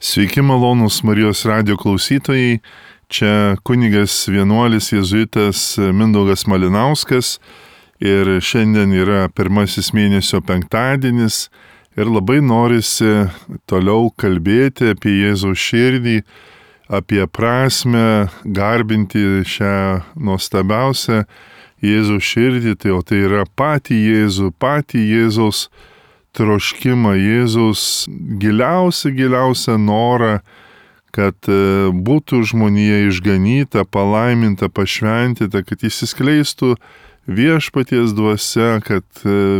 Sveiki malonūs Marijos radijo klausytojai, čia kunigas vienuolis jėzuitas Mindaugas Malinauskas ir šiandien yra pirmasis mėnesio penktadienis ir labai norisi toliau kalbėti apie Jėzaus širdį, apie prasmę, garbinti šią nuostabiausią Jėzaus širdį, tai yra patį Jėzaus troškimą, Jėzaus giliausią norą, kad būtų žmonija išganyta, palaiminta, pašventyta, kad įsiskleistų viešpaties dvasia, kad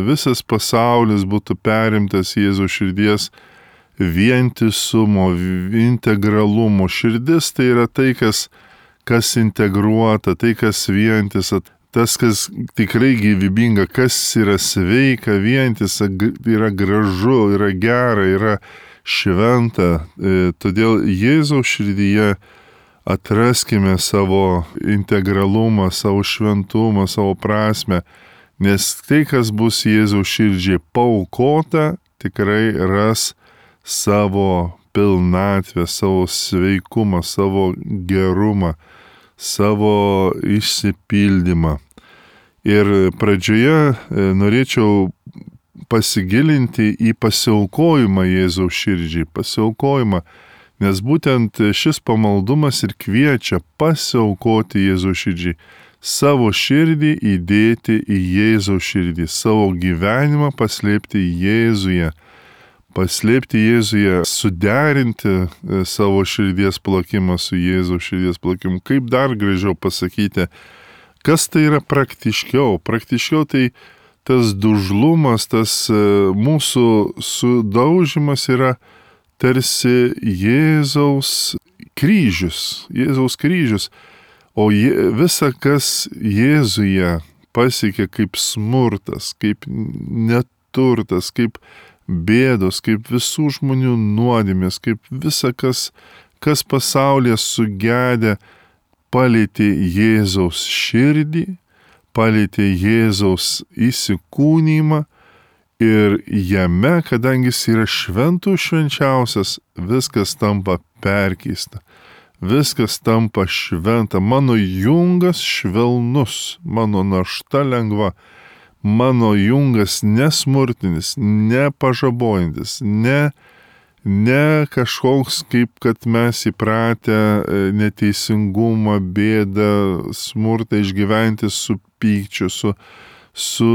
visas pasaulis būtų perimtas Jėzaus širdies vientisumo, integralumo. Širdis tai yra tai, kas integruota, tai, kas vientisa. Tas, kas tikrai gyvybinga, kas yra sveika, vientisa, yra gražu, yra gera, yra šventa. Todėl Jėzaus širdyje atraskime savo integralumą, savo šventumą, savo prasmę, nes tai, kas bus Jėzaus širdžiai paaukota, tikrai ras savo pilnatvę, savo sveikumą, savo gerumą, savo išsipildymą. Ir pradžioje norėčiau pasigilinti į pasiaukojimą Jėzaus širdžiai, pasiaukojimą, nes būtent šis pamaldumas ir kviečia pasiaukoti Jėzaus širdžiai, savo širdį įdėti į Jėzaus širdį, savo gyvenimą paslėpti Jėzuje, suderinti savo širdies plakimą su Jėzaus širdies plakimu. Kaip dar gražiau pasakyti, kas tai yra praktiškiau? Praktiškiau tai tas dužlumas, tas mūsų sudaužimas yra tarsi Jėzaus kryžius. O visa, kas Jėzuje pasiekia kaip smurtas, kaip neturtas, kaip bėdos, kaip visų žmonių nuodėmės, kaip visa, kas pasaulyje sugedę, palietė Jėzaus širdį, palietė Jėzaus įsikūnymą ir jame, kadangi jis yra šventų švenčiausias, viskas tampa perkeista, viskas tampa šventa. Mano jungas švelnus, mano našta lengva. Mano jungas nesmurtinis, nepažabojantis, ne kažkoks, kaip kad mes įpratę neteisingumą, bėdą, smurtą išgyventi su pykčiu, su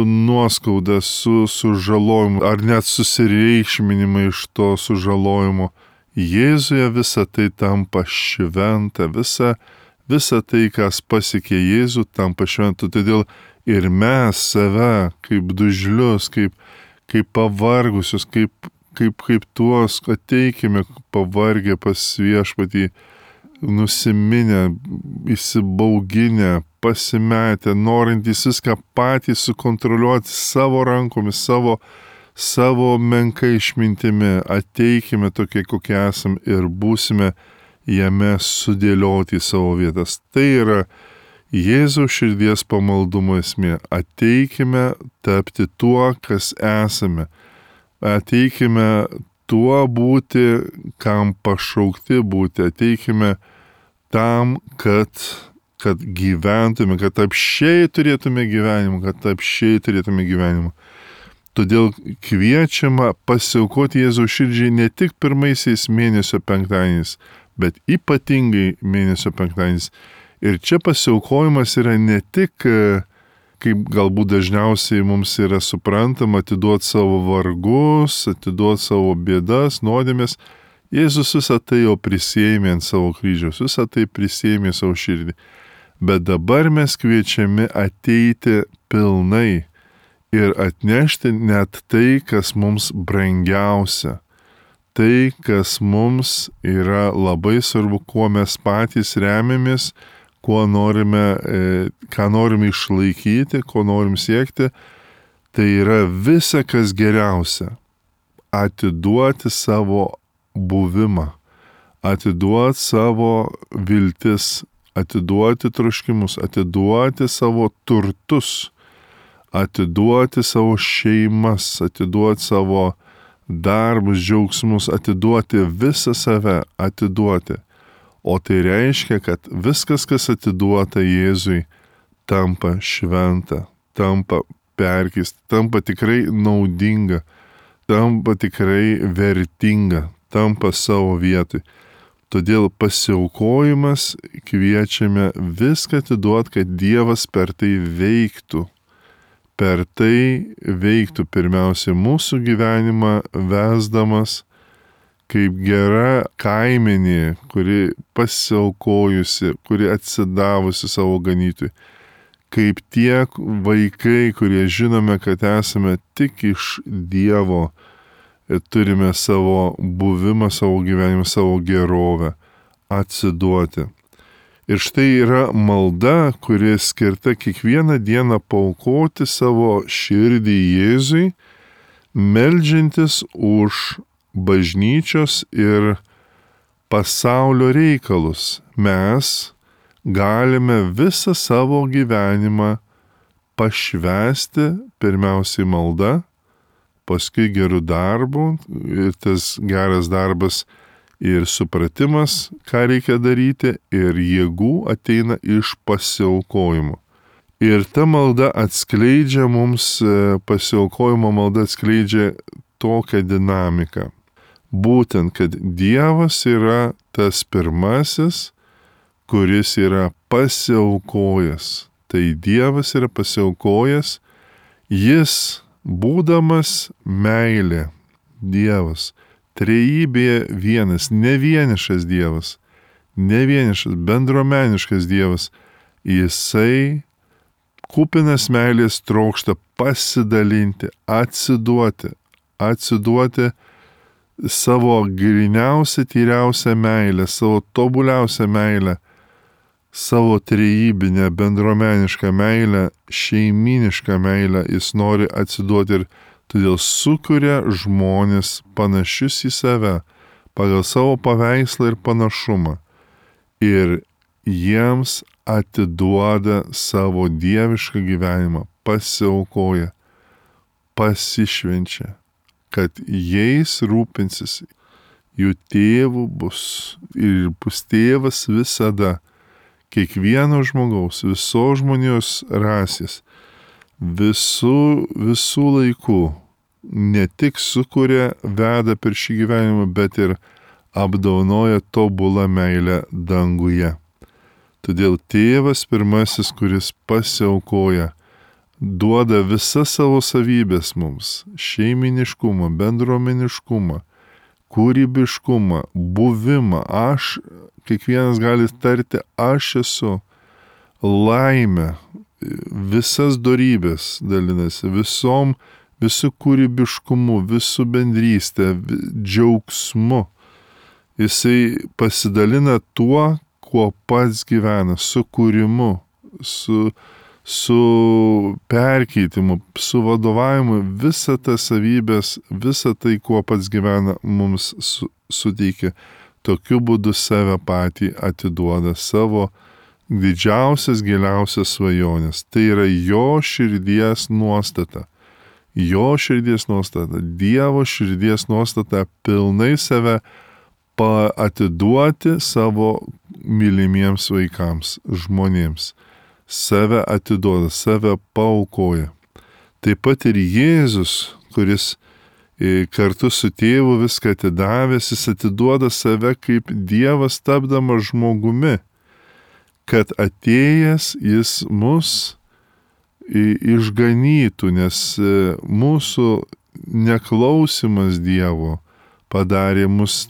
nuoskauda, su sužalojimu, ar net susireikšminimai iš to sužalojimo. Jėzuje visa tai tampa šventa, visa tai, kas pasiekė Jėzų, tampa šventu. Todėl ir mes save kaip dužlius, kaip pavargusius, kaip tuos ateikime pavargę pas viešpatį, nusiminę, įsibauginę, pasimetę, norintys viską patys sukontroliuoti savo rankomis, savo menkai išmintimi. Ateikime tokie, kokie esam ir būsime jame sudėlioti į savo vietas. Tai yra Jėzaus širdies pamaldumo esmė. Ateikime tapti tuo, kas esame. Ateikime tuo būti, kam pašaukti būti. Ateikime tam, kad gyventume, kad apsčiai turėtume gyvenimą, Todėl kviečiama pasiaukoti Jėzaus širdžiai ne tik pirmaisiais mėnesio penktadieniais, bet ypatingai mėnesio penktadieniais. Ir čia pasiaukojimas yra ne tik, kaip galbūt dažniausiai mums yra suprantama, atiduoti savo vargus, atiduoti savo bėdas, nuodėmės. Jėzus visą tai jau prisėmė ant savo kryžiaus, visą tai prisėmė savo širdį. Bet dabar mes kviečiami ateiti pilnai ir atnešti net tai, kas mums brangiausia. Tai, kas mums yra labai svarbu, kuo mes patys remiamės, ką norime išlaikyti, ko norim siekti, tai yra visa, kas geriausia. Atiduoti savo buvimą, atiduoti savo viltis, atiduoti troškimus, atiduoti savo turtus, atiduoti savo šeimas, atiduoti savo darbus, džiaugsmus, atiduoti visą save, atiduoti. O tai reiškia, kad viskas, kas atiduota Jėzui, tampa šventa, tampa perkeista, tampa tikrai naudinga, tampa tikrai vertinga, tampa savo vietoj. Todėl pasiaukojimas kviečiame viską atiduoti, kad Dievas per tai veiktų. Per tai veiktų pirmiausia mūsų gyvenimą vesdamas kaip gera kaimenė, kuri pasiaukojusi, kuri atsidavusi savo ganytui. Kaip tie vaikai, kurie žinome, kad esame tik iš Dievo, turime savo buvimą, savo gyvenimą, savo gerovę atsiduoti. Ir štai yra malda, kuri skirta kiekvieną dieną paaukoti savo širdį Jėzui, meldžiantis už bažnyčios ir pasaulio reikalus. Mes galime visą savo gyvenimą pašvęsti pirmiausiai malda, paskui gerų darbų, ir tas geras darbas ir supratimas, ką reikia daryti, ir jėgų ateina iš pasiaukojimo. Ir ta malda atskleidžia mums, pasiaukojimo malda atskleidžia tokią dinamiką. Būtent, kad Dievas yra tas pirmasis, kuris yra pasiaukojęs. Tai Dievas yra pasiaukojęs, jis būdamas meilė, Dievas, trejybėje vienas, ne vienišas Dievas, ne vienišas, bendruomeniškas Dievas, jisai kupinas meilės trokšta pasidalinti, atsiduoti savo gryniausią, tyriausią meilę, savo tobuliausią meilę, savo trejybinę, bendruomenišką meilę, šeiminišką meilę jis nori atsiduoti ir todėl sukuria žmonės panašius į save, pagal savo paveikslą ir panašumą. Ir jiems atiduoda savo dievišką gyvenimą, pasiaukoja, pasišvenčia, kad jais rūpinsis, jų tėvų bus ir bus tėvas visada, kiekvieno žmogaus, visos žmonijos rasės, visų laikų, ne tik sukuria, veda per šį gyvenimą, bet ir apdovanoja tobulą meilę danguje. Todėl tėvas pirmasis, kuris pasiaukoja, duoda visas savo savybės mums - šeiminiškumą, bendruomeniškumą, kūrybiškumą, buvimą. Kiekvienas gali tarti, aš esu, laimę, visas dorybės dalinasi, visų kūrybiškumu, visų bendrystę, džiaugsmu. Jisai pasidalina tuo, kuo pats gyvena, su kūrimu, su perkeitimu, su vadovavimu, visą tas savybės, visą tai, kuo pats gyvena, mums suteikia. Tokiu būdu save patį atiduoda, savo didžiausias, giliausias svajonės. Tai yra jo širdies nuostata. Jo širdies nuostata, Dievo širdies nuostata pilnai save atiduoti savo mylimiems vaikams, žmonėms. Save atiduoda, save paaukoja. Taip pat ir Jėzus, kuris kartu su tėvu viską atidavęs, jis atiduoda save kaip Dievas tapdamas žmogumi, kad atėjęs jis mus išganytų, nes mūsų neklausimas Dievo padarė mus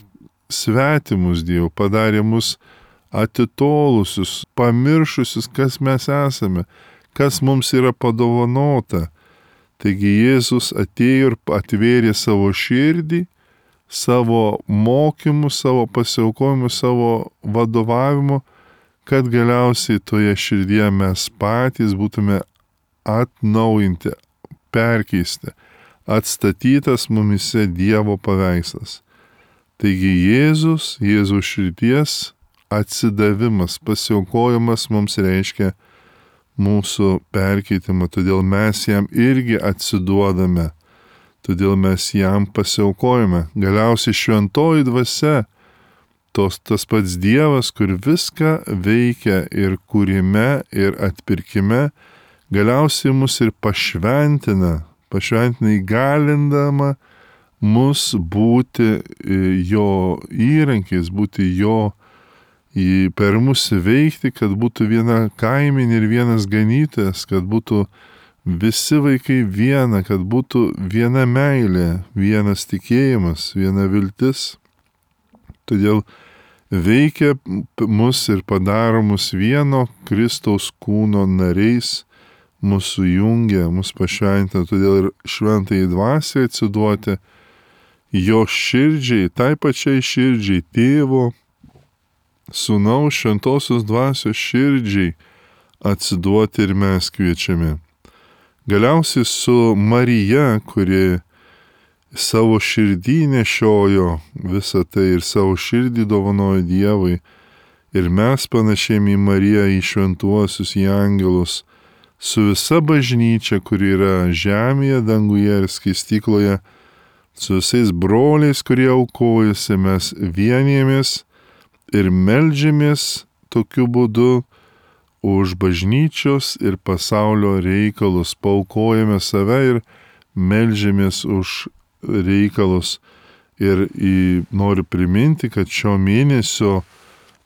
svetimus Dievu, padarė mus atitolusius, pamiršusius, kas mes esame, kas mums yra padovanota. Taigi Jėzus atėjo ir atvėrė savo širdį, savo mokymu, savo pasiaukojimu, savo vadovavimu, kad galiausiai toje širdyje mes patys būtume atnaujinti, perkeisti, atstatytas mumise Dievo paveikslas. Taigi Jėzaus širdies atsidavimas, pasiaukojimas mums reiškia mūsų perkeitimą, todėl mes jam irgi atsiduodame. todėl mes jam pasiaukojame. Galiausiai šventoji dvasia, tas pats Dievas, kur viską veikia ir kūrime, ir atpirkime, galiausiai mus ir pašventina įgalindama mus būti jo įrankiais, būti jo per mus veikti, kad būtų viena kaiminė ir vienas ganytojas, kad būtų visi vaikai viena, kad būtų viena meilė, vienas tikėjimas, viena viltis. Todėl veikia mus ir padaro mus vieno Kristaus kūno nariais, mūsų jungia, mus pašventina, todėl ir šventai dvasiai atsiduoti jo širdžiai, tai pačiai širdžiai, tėvo, sūnaus, šventosios dvasios širdžiai atsiduoti ir mes kviečiame. Galiausiai su Marija, kuri savo širdį nešiojo visą tai ir savo širdį dovanojo Dievui, ir mes panašėjame į Mariją, į šventuosius, į angelus, su visa bažnyčia, kuri yra žemėje, danguje ir skaistykloje, su visais broliais, kurie aukojasi, mes vienijamės ir meldžiamės tokiu būdu už bažnyčios ir pasaulio reikalus, paaukojame save ir meldžiamės už reikalus. Ir noriu priminti, kad šio mėnesio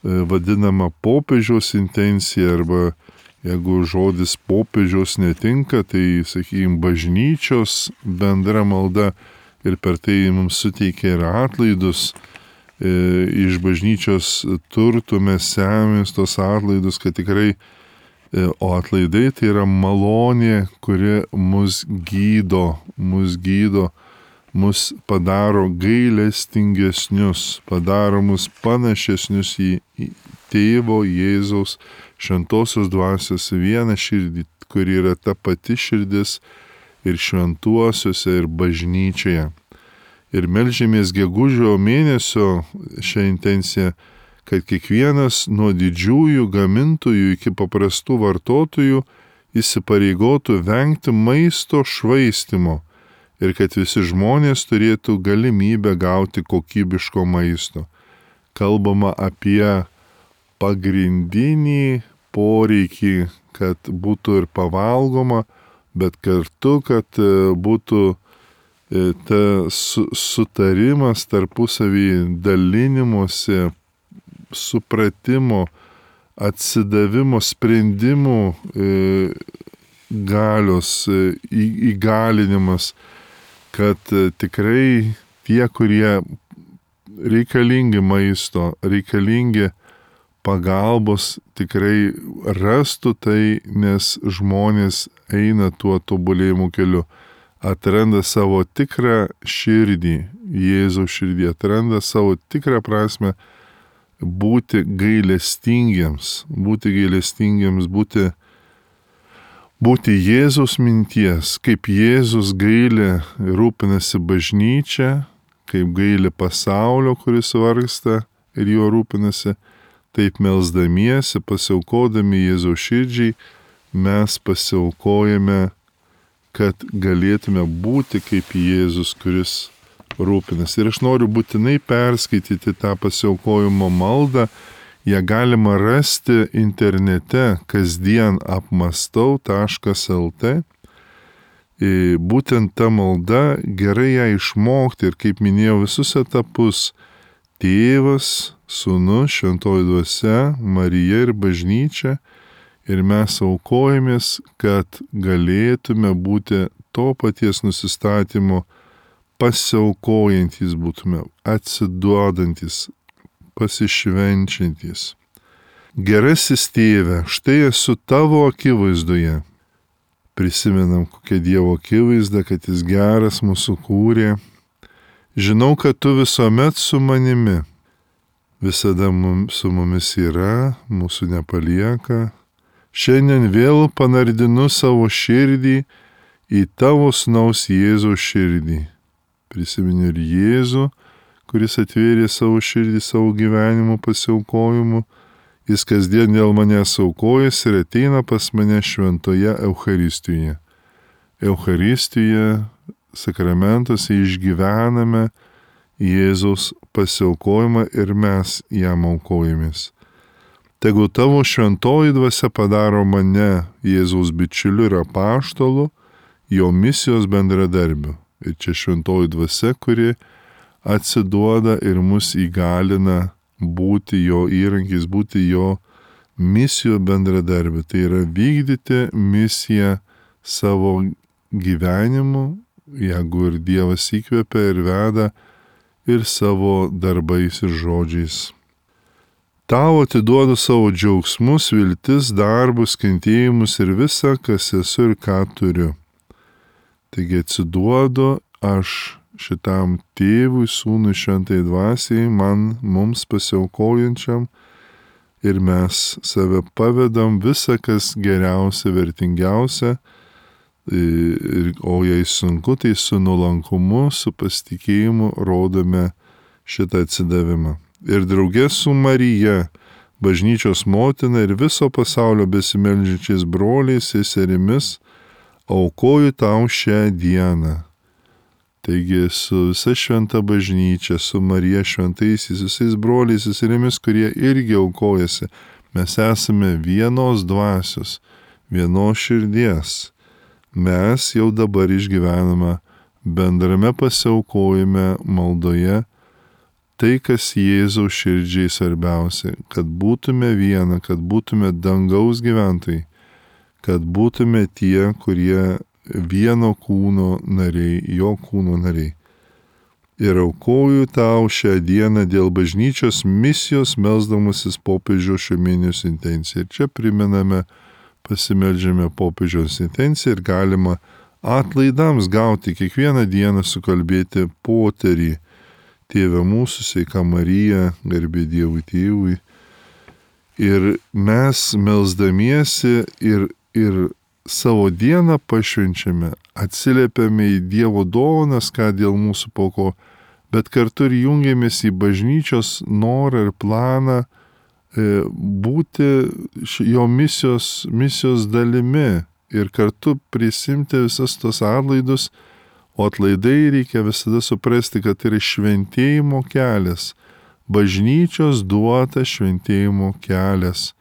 vadinama popiežiaus intencija, arba jeigu žodis popiežiaus netinka, tai, sakykime, bažnyčios bendra malda, ir per tai mums suteikia ir atlaidus. Iš bažnyčios turtų mes semės tos atlaidus, kad tikrai, o atlaidai tai yra malonė, kuri mus gydo, mus padaro gailestingesnius, padaro mus panašesnius į Tėvo Jėzaus šventosios dvasios vieną širdį, kuri yra ta pati širdis ir šventuosiuose, ir bažnyčioje. Ir melžiamės gegužio mėnesio šią intenciją, kad kiekvienas nuo didžiųjų gamintojų iki paprastų vartotojų įsipareigotų vengti maisto švaistimo ir kad visi žmonės turėtų galimybę gauti kokybiško maisto. Kalbama apie pagrindinį poreikį, kad būtų ir pavalgoma, bet kartu, kad būtų tas sutarimas tarpusavį, dalinimuose, supratimo, atsidavimo, sprendimų galios įgalinimas, kad tikrai tie, kurie reikalingi maisto, reikalingi pagalbos, tikrai rastų tai, nes žmonės eina tuo tobulėjimo keliu. Atranda savo tikrą širdį, Jėzaus širdį, atranda savo tikrą prasme būti gailestingiems, būti Jėzaus minties, kaip Jėzus gaili, rūpinasi bažnyčia, kaip gaili pasaulio, kuris vargsta ir juo rūpinasi, taip melsdamiesi, pasiaukodami Jėzaus širdžiai, mes pasiaukojame, kad galėtume būti kaip Jėzus, kuris rūpinasi. Ir aš noriu būtinai perskaityti tą pasiaukojimo maldą. Ją galima rasti internete kasdienapmastau.lt. Būtent ta malda, gerai ją išmokti ir, kaip minėjau, visus etapus – Tėvas, Sūnus, Šventoji Dvasia, Marija ir bažnyčia. Ir mes aukojamės, kad galėtume būti to paties nusistatymo pasiaukojantis būtume, atsiduodantis, pasišvenčiantis. Gerasis Tėve, štai esu tavo akivaizdoje. Prisimenam, kokia Dievo akivaizda, kad jis geras mūsų kūrė. Žinau, kad tu visuomet su manimi. Visada su mumis yra, mūsų nepalieka. Šiandien vėl panardinu savo širdį į tavo sūnaus Jėzaus širdį. Prisiminiu ir Jėzų, kuris atvėrė savo širdį savo gyvenimo pasiaukojimu. Jis kasdien dėl manęs aukojasi ir ateina pas mane šventoje Eucharistijoje. Eucharistija sakramentuose išgyvename Jėzaus pasiaukojimą ir mes jam aukojamės. Tegu tavo šventoji dvasia padaro mane Jėzaus bičiuliu ir apaštalu, jo misijos bendradarbiu. Ir čia šventoji dvasia, kuri atsiduoda ir mus įgalina būti jo įrankiais, būti jo misijų bendradarbiu. Tai yra vykdyti misiją savo gyvenimu, jeigu ir Dievas įkvepia ir veda, ir savo darbais ir žodžiais. Tau atiduodu savo džiaugsmus, viltis, darbus, kentėjimus ir visą, kas esu ir ką turiu. Taigi atsiduodu aš šitam tėvui, sūnui, šventai dvasiai, mums pasiaukojančiam, ir mes save pavedam visą, kas geriausia, vertingiausia, o jei sunku, tai su nuolankumu, su pasitikėjimu rodome šitą atsidavimą. Ir draugė su Marija, bažnyčios motina ir viso pasaulio besimeldžiančiais broliais, seserimis, aukoju tau šią dieną. Taigi su visa šventa bažnyčia, su Marija šventaisiais, visais broliais, seserimis, kurie irgi aukojasi, mes esame vienos dvasios, vienos širdies. Mes jau dabar išgyvename bendrame pasiaukojime maldoje tai, kas Jėzaus širdžiai svarbiausia, kad būtume viena, kad būtume dangaus gyventojai, kad būtume tie, kurie vieno kūno nariai, jo kūno nariai. Ir aukoju tau šią dieną dėl bažnyčios misijos, melsdamasis popiežiaus šio mėnesio intenciją. Ir čia primename, pasimeldžiame popiežiaus intenciją ir galima atlaidams gauti kiekvieną dieną sukalbėti poterį. Tėve mūsų, sveika Marija, garbė Dievui Tėvui. Ir mes melsdamiesi ir savo dieną pašvenčiame, atsiliepiame į Dievo dovanas, ką dėl mūsų pauko, bet kartu ir jungiamės į bažnyčios norą ir planą būti jo misijos dalimi ir kartu prisimti visas tos atlaidus, o atlaidai reikia visada suprasti, kad tai yra šventėjimo kelias, bažnyčios duotas šventėjimo kelias.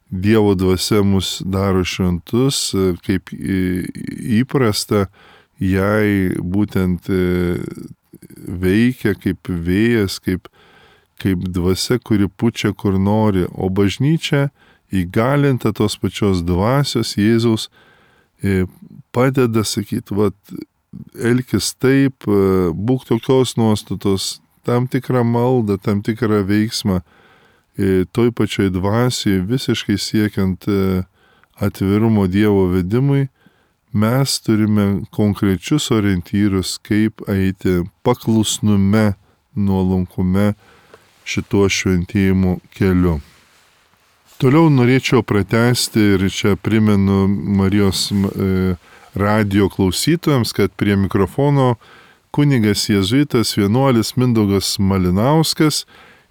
Dievo dvasia mus daro šventus, kaip įprasta, jai būtent veikia kaip vėjas, kaip dvasia, kuri pučia kur nori, o bažnyčia įgalinta tos pačios dvasios Jėzaus padeda sakyti, elkis taip, būk tokios nuostatos, tam tikrą maldą, tam tikrą veiksmą, toj pačioj dvasiai, visiškai siekiant atvirumo Dievo vedimui, mes turime konkrečius orientyrus, kaip eiti paklusnume, nuolankume šituo šventėjimo keliu. Toliau norėčiau pratęsti ir čia primenu Marijos radijo klausytojams, kad prie mikrofono kunigas jėzuitas vienuolis Mindaugas Malinauskas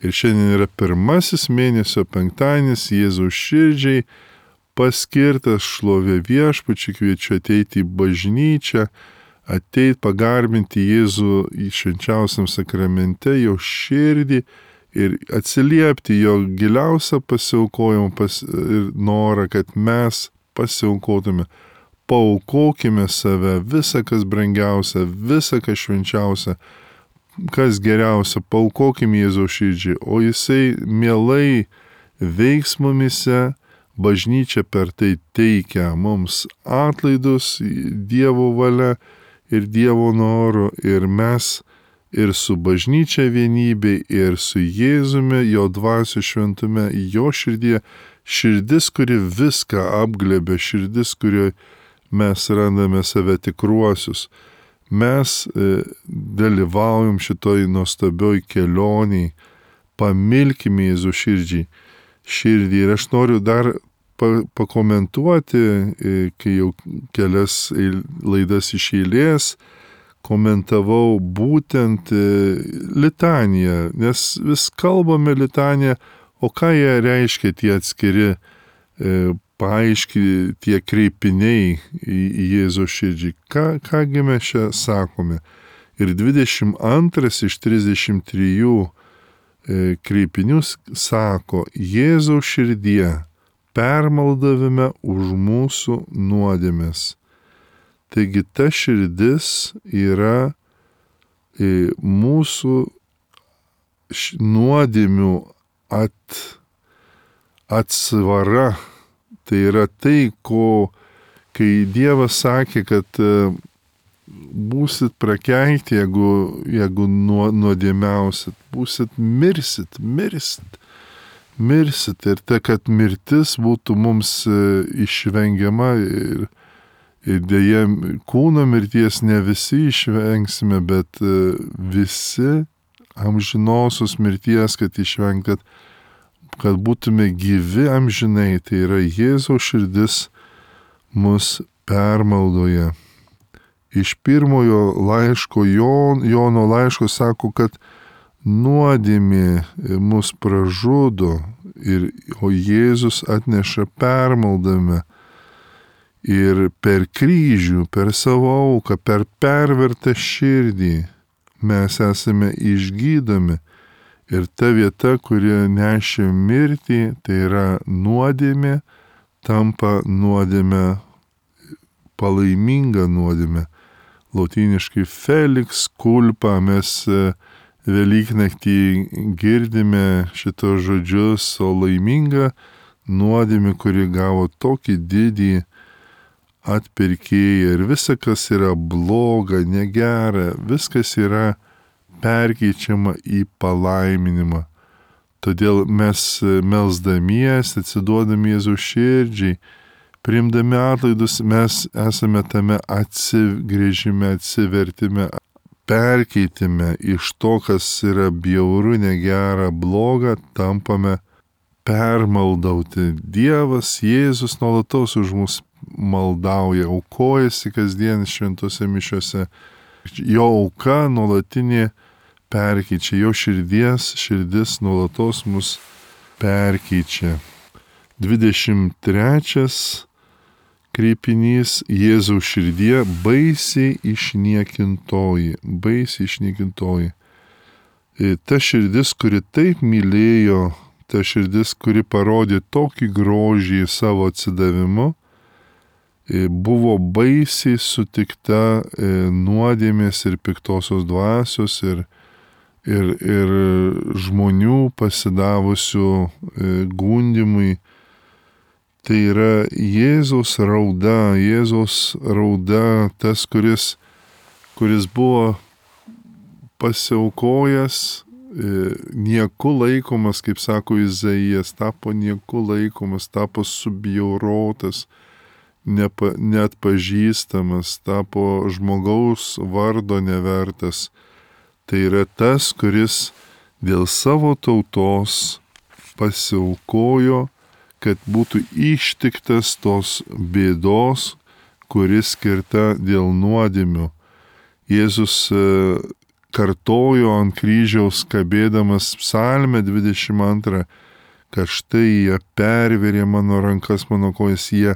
ir šiandien yra pirmasis mėnesio penktadienis Jėzaus širdžiai paskirtas šlovė Viešpačiui, kviečiu ateiti į bažnyčią, ateiti pagarbinti Jėzų į švenčiausiam sakramente, jo širdį ir atsiliepti jo giliausią pasiaukojimą ir norą, kad mes pasiaukotume. Paaukokime save, visą, kas brangiausia, visą, kas švenčiausia, kas geriausia, paaukokime Jėzaus širdžiai, o jisai mielai veiks mumise, bažnyčia per tai teikia mums atlaidus Dievo valia ir Dievo noru, ir mes ir su bažnyčia vienybė, ir su Jėzumi, jo dvasios šventume, jo širdyje, širdis, kuri viską apglėbė, širdis, kurioje mes randame save tikruosius. Mes dalyvaujam šitoj nuostabioj kelioniai, pamilkime Jėzų širdį. Ir aš noriu dar pakomentuoti, kai jau kelias laidas iš eilės komentavau būtent litaniją, nes vis kalbame litaniją, o ką jie reiškia tie atskiri paaiški tie kreipiniai į Jėzaus širdžiai. Kągi mes čia sakome? Ir 22 iš 33 kreipinių sako: Jėzaus širdie, permaldavime už mūsų nuodėmes. Taigi ta širdis yra mūsų nuodėmių atsvara. Tai yra tai, kai Dievas sakė, kad būsit prakeikti, jeigu nuodėmiausit, mirsit. Ir tai, kad mirtis būtų mums išvengiama ir dėja kūno mirties ne visi išvengsime, bet visi amžinosios mirties, kad išvengti, kad būtume gyvi amžinai. Tai yra Jėzaus širdis mus permaldoja. Iš pirmojo laiško, Jono laiško sako, kad nuodėmė mus pražudo, o Jėzus atneša permaldavimą. Ir per kryžių, per savo auką, per pervertą širdį mes esame išgydomi. Ir ta vieta, kuri nešė mirtį, tai yra nuodėmė, tampa nuodėmė, palaiminga nuodėmė. Lotyniškai felix culpa, mes Velyknaktį girdime šitos žodžius, o laiminga nuodėmė, kuri gavo tokį didį atpirkėją. Ir visa, kas yra bloga, negera, viskas yra perkeičiama į palaiminimą. Todėl mes melsdamiesi, atsiduodami Jėzaus širdžiai, priimdami atlaidus, mes esame tame atsigrėžime, atsivertime, perkeitime iš to, kas yra bjauru, negera, bloga, tampame permaldauti. Dievas, Jėzus nuolatos už mus maldauja, aukojasi kasdien šventose mišiose. Jo auka nuolatinė perkeičia, jo širdis nuolatos mus perkeičia. 23 kreipinys: Jėzaus širdie baisiai išniekintoji. Ta širdis, kuri taip mylėjo, ta širdis, kuri parodė tokį grožį savo atsidavimu, buvo baisiai sutikta nuodėmės ir piktosios dvasios ir žmonių pasidavusių gundimui. Tai yra Jėzaus rauda, tas, kuris buvo pasiaukojęs, nieku laikomas, kaip sako Izaijas, tapo nieku laikomas, tapo subjaurotas, neatpažįstamas, tapo žmogaus vardo nevertas. Tai yra tas, kuris dėl savo tautos pasiaukojo, kad būtų ištiktas tos bėdos, kuris skirta dėl nuodėmių. Jėzus kartojo ant kryžiaus kabėdamas psalmę 22, kad štai jie perverė mano rankas, mano kojas, jie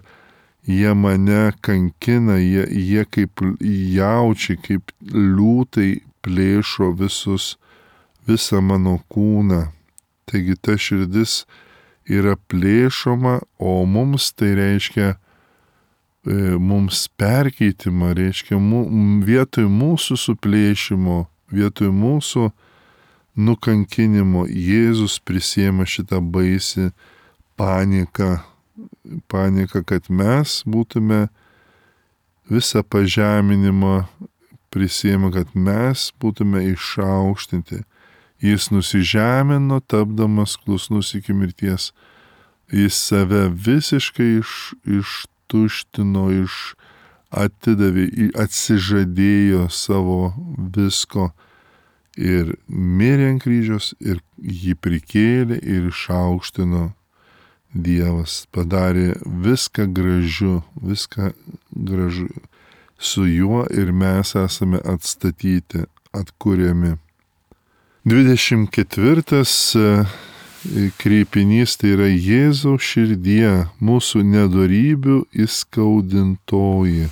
mane kankina, jie kaip jaučiai, kaip liūtai plėšo visą mano kūną. Taigi ta širdis yra plėšoma, o mums tai reiškia mums perkeitimą, reiškia vietoj mūsų suplėšimo, vietoj mūsų nukankinimo Jėzus prisiema šitą baisį paniką, kad mes būtume visą pažeminimą prisiema, kad mes būtume išaukštinti. Jis nusižemino, tapdamas klusnus iki mirties. Jis save visiškai ištuštino, atidavė, atsižadėjo savo visko ir mirė ant kryžiaus ir jį prikėlė ir išaukštino Dievas. Padarė viską gražu su juo ir mes esame atstatyti, atkuriami. 24 kreipinys tai yra Jėzaus širdie, mūsų nedorybių įskaudintoji.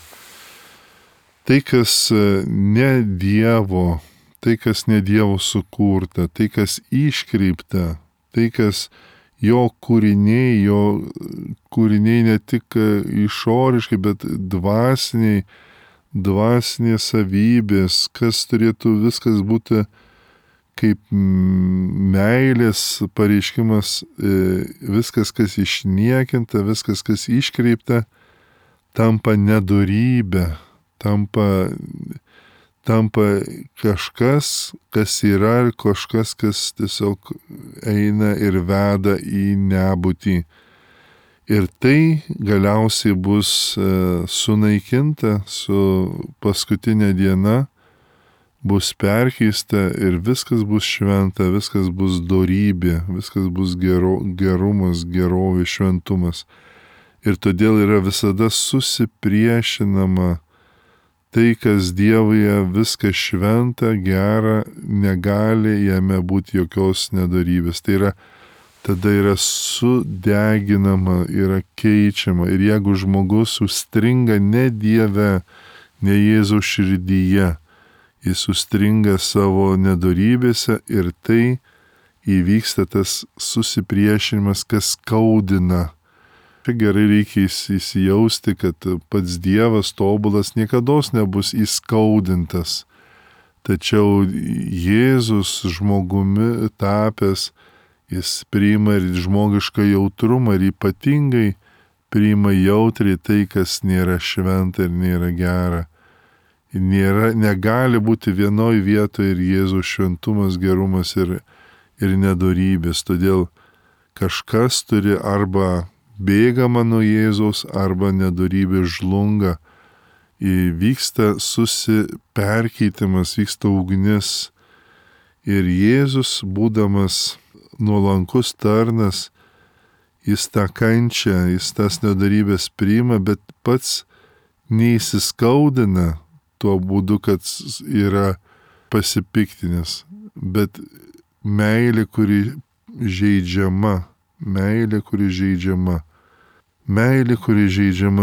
Tai, kas ne Dievo, tai, kas ne Dievo sukurta, tai, kas iškreipta, tai, kas jo kūriniai ne tik išoriškai, bet dvasinės savybės, kas turėtų viskas būti kaip meilės pareiškimas, viskas, kas išniekinta, viskas, kas iškreipta, tampa nedorybė, tampa kažkas, kas yra, ir kažkas, kas tiesiog eina ir veda į nebūtį. Ir tai galiausiai bus sunaikinta su paskutinė diena, bus perkeista ir viskas bus šventa, viskas bus dorybė, viskas bus gerumas, gerovė, šventumas. Ir todėl yra visada susipriešinama tai, kas Dievoje viskas šventa, gera, negali jame būti jokios nedorybės. Tai yra, tada yra sudeginama, yra keičiama. Ir jeigu žmogus užstringa ne Dieve, ne Jėzaus širdyje, jis užstringa savo nedorybėse ir tai įvyksta tas susipriešinimas, kas skaudina. Čia gerai reikia įsijausti, kad pats Dievas tobulas niekados nebus įskaudintas. Tačiau Jėzus žmogumi tapęs, jis priima ir žmogišką jautrumą ir ypatingai priima jautriai tai, kas nėra šventa ir nėra gera. Negali būti vienoj vietoje ir Jėzaus šventumas, gerumas ir nedorybės. Todėl kažkas turi arba bėgama nuo Jėzaus, arba nedorybė žlunga. Vyksta susiperkeitimas, vyksta ugnis. Ir Jėzus, būdamas nuolankus tarnas, jis tą kančią, jis tas nedorybės priima, bet pats neįsiskaudina tuo būdu, kad yra pasipiktinęs, bet meilė, kuri žeidžiama,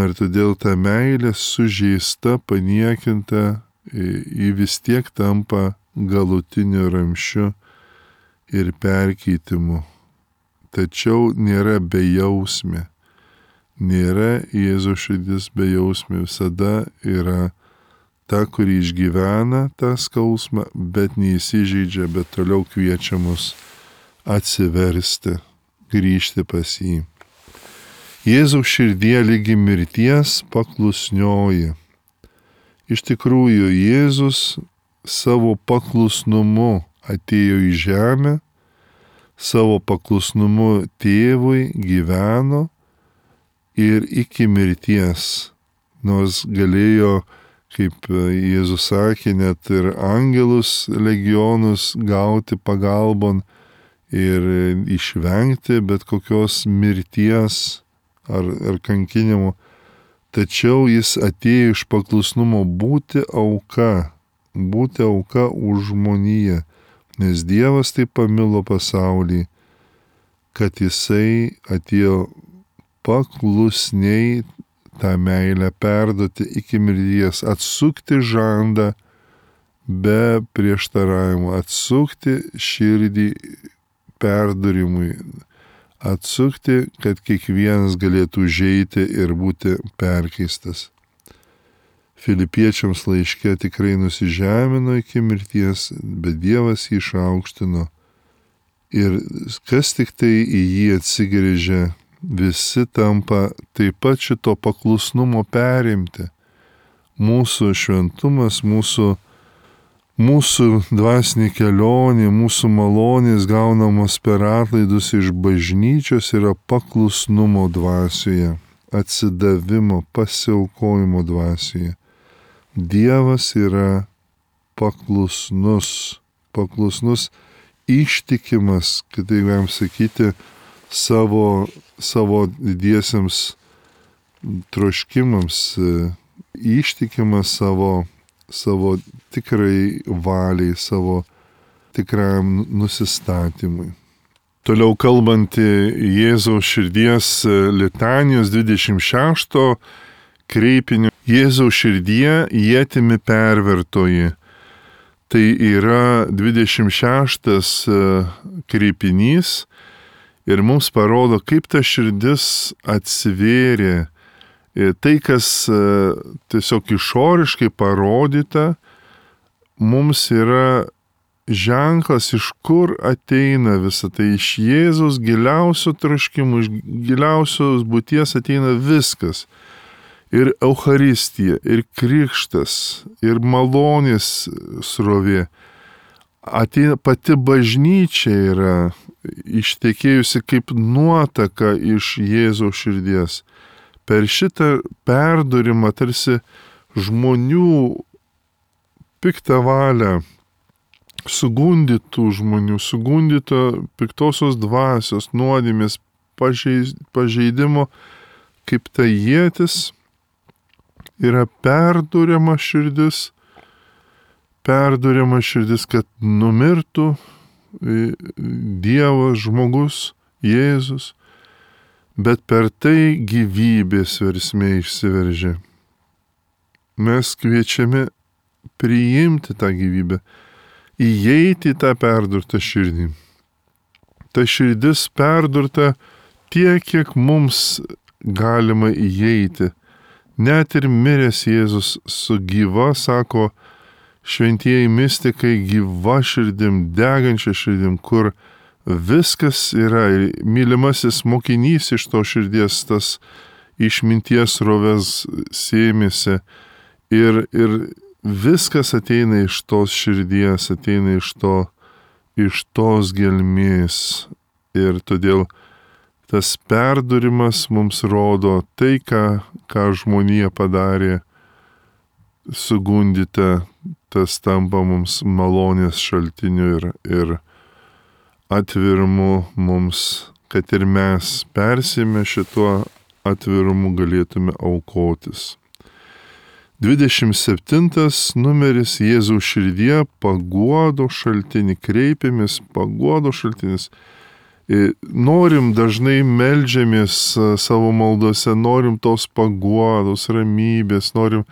ir todėl ta meilė sužeista, paniekinta, ji vis tiek tampa galutiniu ramsčiu ir perkeitimu. Tačiau nėra bejausmė, nėra Jėzaus širdis bejausmė, visada yra ta, kuri išgyvena tą skausmą, bet neįsižeidžia, bet toliau kviečia mus atsiversti, grįžti pas jį. Jėzaus širdie lygi mirties paklusnioji. Iš tikrųjų, Jėzus savo paklusnumu atėjo į žemę, savo paklusnumu tėvui gyveno ir iki mirties, nors galėjo, kaip Jėzus sakė, net ir angelus legionus gauti pagalbon ir išvengti bet kokios mirties ar kankinimo. Tačiau jis atėjo iš paklusnumo būti auka už žmoniją, nes Dievas taip pamilo pasaulį, kad jisai atėjo paklusniai tą meilę perduoti iki mirties, atsukti žandą be prieštaravimo, atsukti širdį perdarimui, atsukti, kad kiekvienas galėtų užeiti ir būti perkeistas. Filipiečiams laiške tikrai nusižemino iki mirties, bet Dievas jį išaukštino. Ir kas tik tai į jį atsigręžia, visi tampa taip pat šito paklusnumo perimti. Mūsų šventumas, mūsų dvasinė kelionė, mūsų malonės gaunamos per atlaidus iš bažnyčios yra paklusnumo dvasioje, atsidavimo, pasiaukojimo dvasioje. Dievas yra paklusnus, ištikimas, kitaip galim sakyti, savo didiesiems troškimams, ištikimas savo tikrai valiai, savo tikrajam nusistatymui. Toliau kalbant Jėzaus širdies litanijos 26 kreipiniu Jėzaus širdie ietimi pervertoji. Tai yra 26 kreipinys ir mums parodo, kaip ta širdis atsivėrė. Tai, kas tiesiog išoriškai parodyta, mums yra ženklas, iš kur ateina visa tai. Iš Jėzaus giliausio troškimų, iš giliausios būties ateina viskas. Ir Eucharistija, ir krikštas, ir malonės srovė. Ateina pati bažnyčia yra ištekėjusi kaip nuotaka iš Jėzaus širdies. Per šitą perdurimą tarsi žmonių piktą valią, sugundytų žmonių, sugundyto piktosios dvasios, nuodėmės, pažeidimo, kaip ta ietis yra perduriama širdis, kad numirtų Dievas, žmogus, Jėzus, bet per tai gyvybės versmė išsiveržė. Mes kviečiami priimti tą gyvybę, įeiti į tą perdurtą širdį. Ta širdis perdurta tiek, kiek mums galima įeiti. Net ir miręs Jėzus su gyva, sako šventieji mistikai, gyva širdim, degančia širdim, kur viskas yra. Mylimasis mokinys iš to širdies, tas išminties srovės sėmėsi. Ir viskas ateina iš tos širdies, ateina iš tos gelmės. Ir todėl tas perdurimas mums rodo tai, ką žmonija padarė, sugundyta, tas tampa mums malonės šaltiniu ir atvirimu mums, kad ir mes persime šituo atvirumu galėtume aukotis. 27 numeris Jėzaus širdie paguodo šaltinį, kreipiamės paguodo šaltinis. Norim dažnai meldžiamės savo maldose, norim tos paguodos, ramybės, norim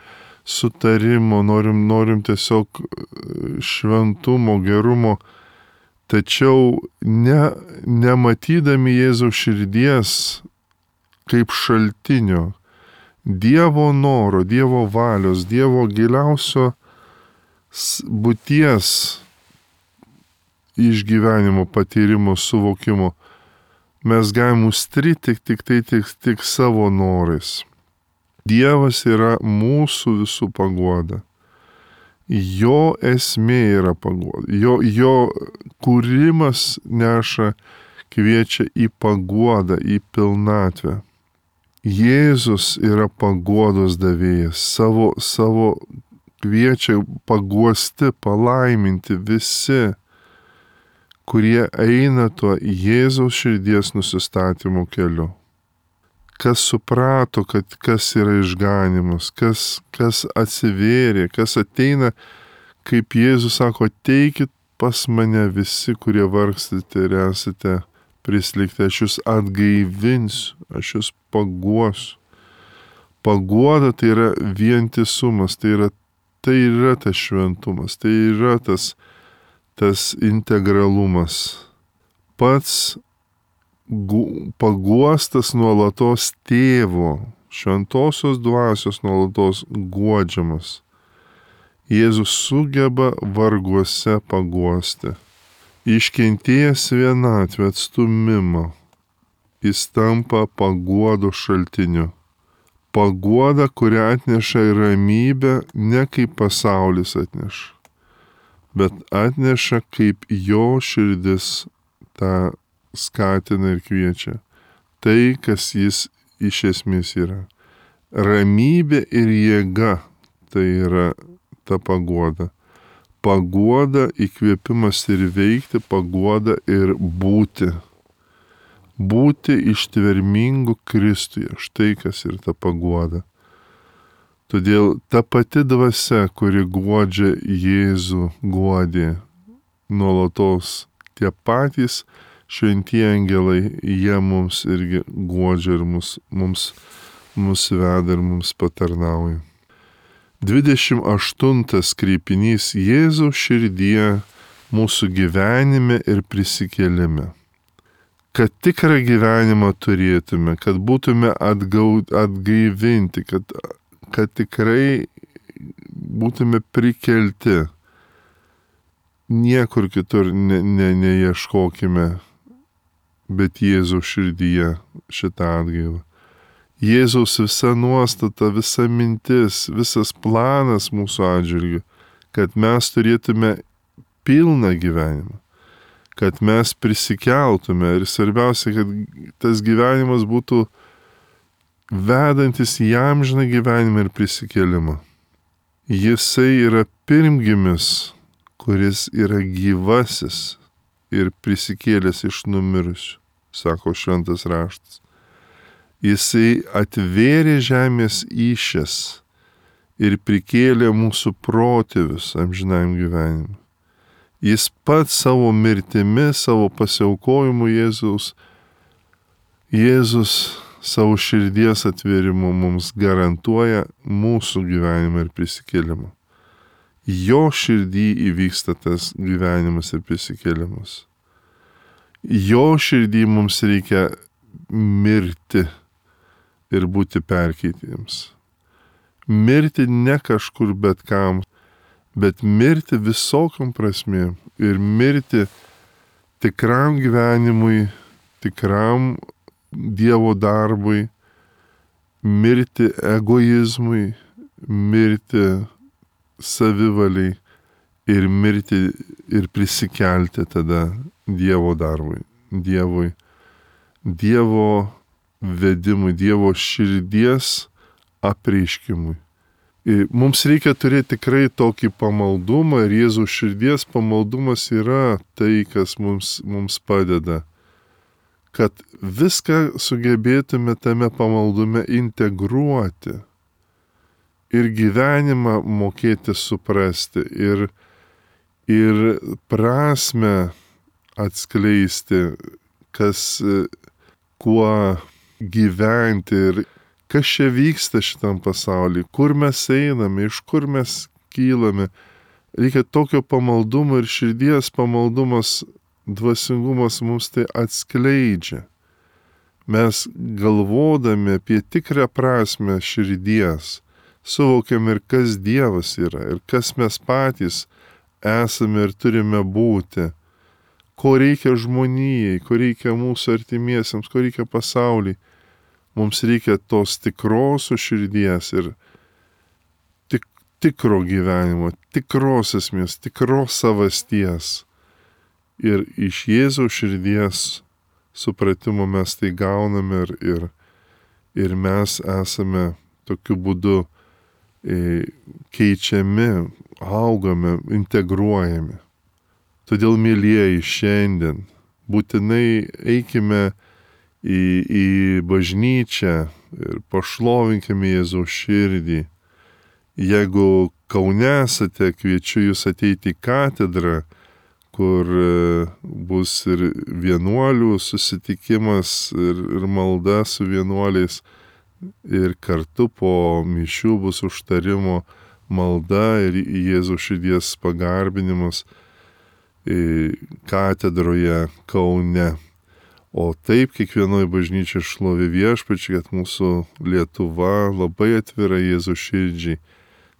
sutarimo, norim tiesiog šventumo, gerumo, tačiau nematydami Jėzaus širdies kaip šaltinio, Dievo noro, Dievo valios, Dievo giliausio būties išgyvenimo, patyrimo, suvokimo, mes galim užstriti tik savo norais. Dievas yra mūsų visų paguoda. Jo esmė yra paguoda. Jo kūrimas kviečia į paguodą, į pilnatvę. Jėzus yra paguodos davėjas. Savo kviečia paguosti, palaiminti visi, kurie eina tuo Jėzaus širdies nusistatymo keliu. Kas suprato, kad kas yra išganimas, kas atsivėrė, kas ateina, kaip Jėzus sako, ateikit pas mane visi, kurie vargstate ir esate prislėgti, aš jūs atgaivinsiu, aš jūs paguosiu. Paguoda tai yra vientisumas, tai yra tas šventumas, tai yra tas integralumas. Pats paguostas nuolatos tėvo, šventosios dvasios nuolatos guodžiamas. Jėzus sugeba varguose paguosti. Iškentėjęs vienatvę, atstumimą, jis tampa paguodo šaltiniu. Paguoda, kurią atneša ramybę, ne kaip pasaulis atneša, bet atneša kaip jo širdis tą skatina ir kviečia. Tai, kas jis iš esmės yra. Ramybė ir jėga tai yra ta paguoda. Paguoda, įkvėpimas ir veikti, paguoda ir būti. Būti ištvermingu Kristuje. Štai kas ir ta paguoda. Todėl ta pati dvasia, kuri guodžia Jėzų, guodė nuolatos tie patys šventieji angelai, jie mums irgi guodžia ir mus veda ir mums patarnauja. 28 kreipinys Jėzaus širdie mūsų gyvenime ir prisikėlime. Kad tikrą gyvenimą turėtume, kad būtume atgaivinti, kad tikrai būtume prikelti. Niekur kitur neieškokime, bet Jėzaus širdyje šitą atgaivą. Jėzaus visa nuostata, visa mintis, visas planas mūsų atžvilgiu, kad mes turėtume pilną gyvenimą, kad mes prisikeltume ir svarbiausia, kad tas gyvenimas būtų vedantis į amžiną gyvenimą ir prisikėlimą. Jisai yra pirmgimis, kuris yra gyvasis ir prisikėlęs iš numirusių, sako šventas raštas. Jisai atvėrė žemės įsčias ir prikėlė mūsų protėvius amžinajam gyvenimui. Jis pats savo mirtimi, savo pasiaukojimu Jėzus savo širdies atvėrimu mums garantuoja mūsų gyvenimą ir prisikėlimą. Jo širdį įvyksta tas gyvenimas ir prisikėlimas. Jo širdį mums reikia mirti ir būti perkeitėjams. Mirti ne kažkur bet kam, bet mirti visokiam prasmėm ir mirti tikram gyvenimui, tikram Dievo darbui, mirti egoizmui, mirti savivaliai ir mirti ir prisikelti tada Dievo darbui, Dievo vedimui, Dievo širdies apreiškimui. Ir mums reikia turėti tikrai tokį pamaldumą ir Jėzaus širdies pamaldumas yra tai, kas mums padeda, kad viską sugebėtume tame pamaldume integruoti ir gyvenimą mokėti suprasti ir prasme atskleisti, kuo gyventi ir kas čia vyksta šitam pasaulyje, kur mes einame, iš kur mes kylame. Reikia tokio pamaldumo ir širdies pamaldumas, dvasingumas mums tai atskleidžia. Mes galvodami apie tikrą prasme širdies, suvokiam ir kas Dievas yra, ir kas mes patys esame ir turime būti, ko reikia žmonijai, ko reikia mūsų artimiesiems, ko reikia pasauliui. Mums reikia tos tikrosios širdies ir tikro gyvenimo, tikros esmės, tikros savasties. Ir iš Jėzaus širdies supratimo mes tai gauname ir mes esame tokiu būdu keičiami, augame, integruojami. Todėl, mielieji, šiandien būtinai eikime į bažnyčią ir pašlovinkime Jėzaus širdį. Jeigu Kaune esate, kviečiu jūs ateiti į katedrą, kur bus ir vienuolių susitikimas ir malda su vienuoliais ir kartu po mišių bus užtarimo malda ir Jėzaus širdies pagarbinimas katedroje Kaune. O taip kiekvienoje bažnyčioje šlovė Viešpačiui, kad mūsų Lietuva labai atvira Jėzaus širdžiai.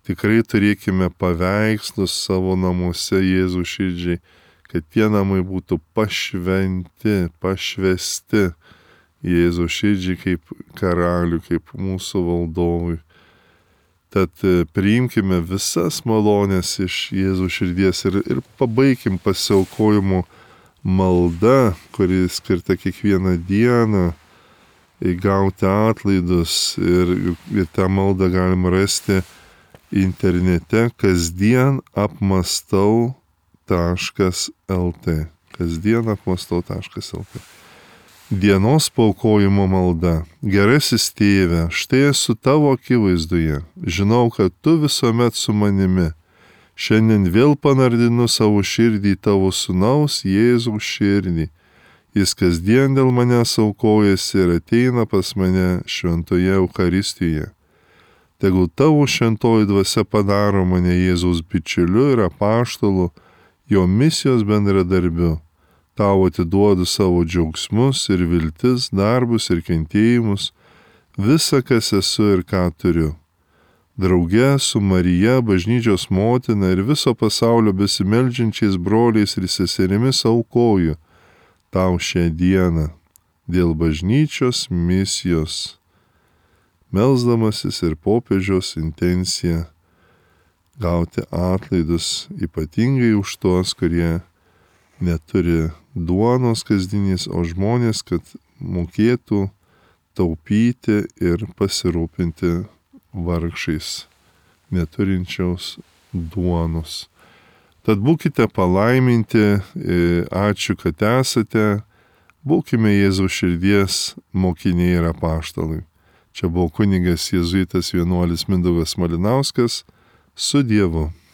Tikrai turėkime paveikslus savo namuose Jėzaus širdžiai, kad tie namai būtų pašvesti Jėzaus širdžiai kaip karaliui, kaip mūsų valdovui. Tad priimkime visas malonės iš Jėzaus širdies ir pabaikim pasiaukojimu malda, kuri skirta kiekvieną dieną įgauti atlaidus ir tą maldą galima rasti internete kasdienapmastau.lt. kasdienapmastau.lt. Dienos paaukojimo malda. Gerasis Tėve, štai esu tavo akivaizdoje. Žinau, kad tu visuomet su manimi. Šiandien vėl panardinu savo širdį tavo sūnaus Jėzaus širdį. Jis kasdien dėl manęs aukojasi ir ateina pas mane šventoje Eucharistijoje. Tegul tavo šventoji dvasia padaro mane Jėzaus bičiuliu ir apaštalu, jo misijos bendradarbiu. Tau atiduodu savo džiaugsmus ir viltis, darbus ir kentėjimus, visa, kas esu ir ką turiu. Drauge su Marija, bažnyčios motina ir viso pasaulio besimeldžiančiais broliais ir seserimis aukoju tau šią dieną dėl bažnyčios misijos, melsdamasis ir popiežiaus intenciją gauti atlaidus ypatingai už tuos, kurie neturi duonos kasdienės, o žmonės, kad mokėtų taupyti ir pasirūpinti vargšais, neturinčiaus duonos. Tad būkite palaiminti, ačiū, kad esate, būkime Jėzaus širdies mokiniai ir apaštalai. Čia buvo kunigas jėzuitas vienuolis Mindaugas Malinauskas, su Dievu.